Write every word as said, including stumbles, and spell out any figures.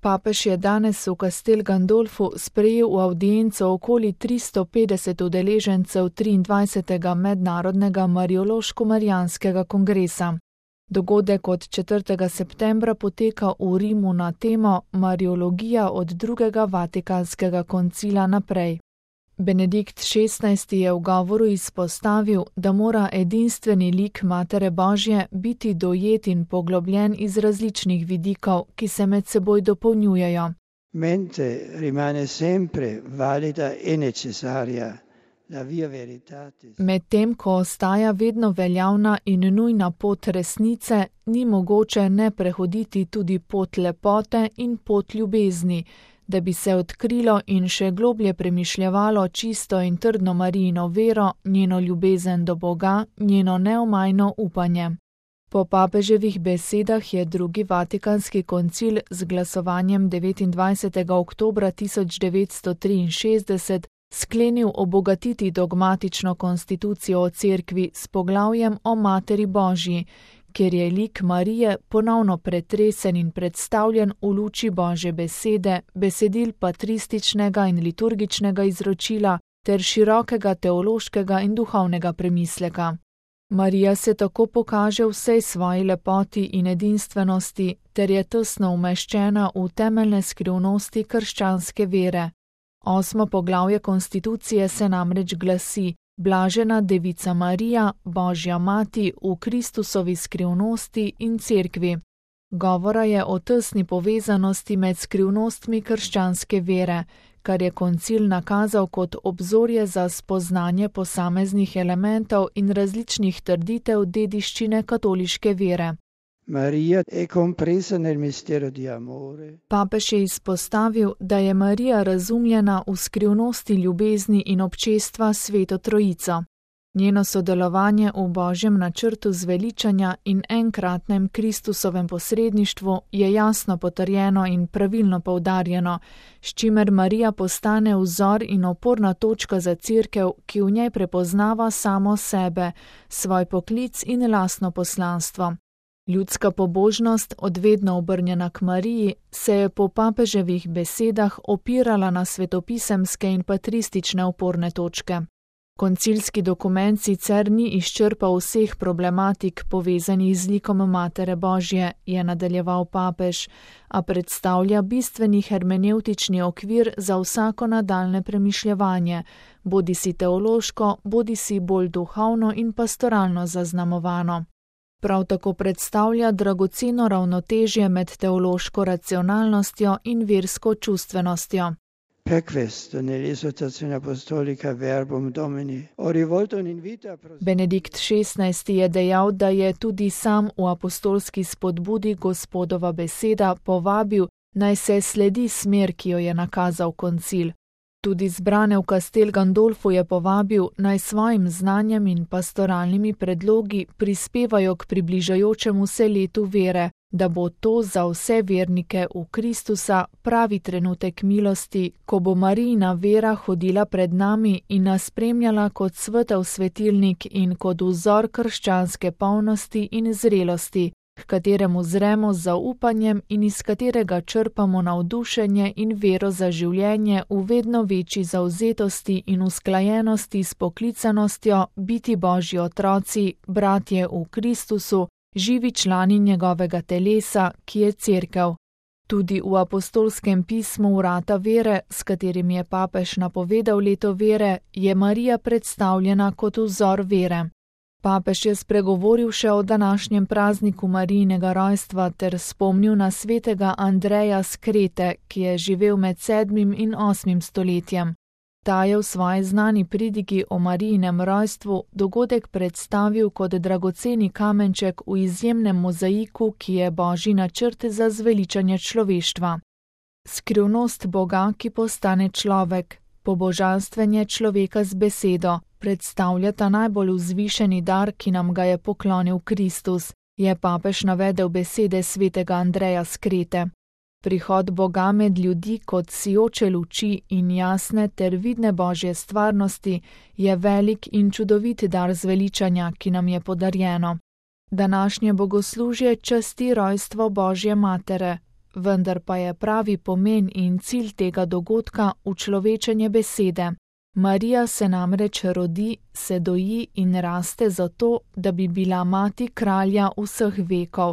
Papež je danes v Castel Gandolfu sprejel v avdienco okoli tristo petdeset udeležencev triindvajsetega mednarodnega mariološko-marijanskega kongresa. Dogodek od četrtega septembra poteka v Rimu na temo Mariologija od drugega vatikanskega koncila naprej. Benedikt šestnajsti je v govoru izpostavil, da mora edinstveni lik Matere Božje biti dojet in poglobljen iz različnih vidikov, ki se med seboj dopolnjujejo. Mente rimane sempre valida e necessaria la via veritatis. Medtem ko ostaja vedno veljavna in nujna pot resnice, ni mogoče ne prehoditi tudi pot lepote in pot ljubezni, da bi se odkrilo in še globlje premišljevalo čisto in trdno Marijino vero, njeno ljubezen do Boga, njeno neomajno upanje. Po papeževih besedah je drugi vatikanski koncil z glasovanjem devetindvajsetega oktobra tisoč devetsto triinšestdeset sklenil obogatiti dogmatično konstitucijo o cerkvi s poglavjem o Materi Božji, kjer je lik Marije ponovno pretresen in predstavljen v luči Božje besede, besedil patrističnega in liturgičnega izročila ter širokega teološkega in duhovnega premisleka. Marija se tako pokaže v vsej svoji lepoti in edinstvenosti ter je tesno umeščena v temeljne skrivnosti krščanske vere. Osmo poglavje konstitucije se namreč glasi: Blažena Devica Marija, Božja mati v Kristusovi skrivnosti in cerkvi. Govora je o tesni povezanosti med skrivnostmi krščanske vere, kar je koncil nakazal kot obzorje za spoznanje posameznih elementov in različnih trditev dediščine katoliške vere. Maria è compresa nel mistero di amore. Papež je izpostavil, da je Marija razumljena v skrivnosti ljubezni in občestva s Sveto Trojico. Njeno sodelovanje v Božjem načrtu zveličanja in enkratnem Kristusovem posredništvu je jasno potrjeno in pravilno poudarjeno, s čimer Marija postane vzor in oporna točka za cerkev, ki v njej prepoznava samo sebe, svoj poklic in lastno poslanstvo. Ljudska pobožnost, odvedno obrnjena k Mariji, se je po papeževih besedah opirala na svetopisemske in patristične oporne točke. Koncilski dokument sicer ni izčrpal vseh problematik povezanih z likom Matere Božje, je nadaljeval papež, a predstavlja bistveni hermenevtični okvir za vsako nadaljne premišljevanje, bodisi teološko, bodisi bolj duhovno in pastoralno zaznamovano. Prav tako predstavlja dragoceno ravnotežje med teološko racionalnostjo in versko čustvenostjo. Per questo nell'esortazione apostolica Verbum Domini ho rivolto un invito a proseguire. Benedikt šestnajsti je dejal, da je tudi sam v apostolski spodbudi Gospodova beseda povabil, naj se sledi smer, ki jo je nakazal koncil. Tudi zbrane v Castel Gandolfu je povabil, naj svojim znanjem in pastoralnimi predlogi prispevajo k približajočemu se letu vere, da bo to za vse vernike v Kristusa pravi trenutek milosti, ko bo Marijina vera hodila pred nami in nas spremljala kot svetel svetilnik in kot vzor krščanske polnosti in zrelosti, k kateremu zremo z zaupanjem in iz katerega črpamo navdušenje in vero za življenje v vedno večji zavzetosti in usklajenosti s poklicanostjo biti Božji otroci, bratje v Kristusu, živi člani njegovega telesa, ki je cerkev. Tudi v apostolskem pismu Vrata vere, s katerim je papež napovedal leto vere, je Marija predstavljena kot vzor vere. Papež je spregovoril še o današnjem prazniku Marijinega rojstva ter spomnil na svetega Andreja z Krete, ki je živel med sedmim in osmim stoletjem. Ta je v svoji znani pridigi o Marijinem rojstvu dogodek predstavil kot dragoceni kamenček v izjemnem mozaiku, ki je Božji načrt za zveličanje človeštva. Skrivnost Boga, ki postane človek, pobožanstvenje človeka z besedo, predstavljata najbolj vzvišeni dar, ki nam ga je poklonil Kristus, je papež navedel besede svetega Andreja z Krete. Prihod Boga med ljudi kot sijoče luči in jasne ter vidne Božje stvarnosti je velik in čudovit dar zveličanja, ki nam je podarjeno. Današnje bogoslužje časti rojstvo Božje Matere, vendar pa je pravi pomen in cilj tega dogodka učlovečenje besede. Marija se namreč rodi, se doji in raste zato, da bi bila mati kralja vseh vekov,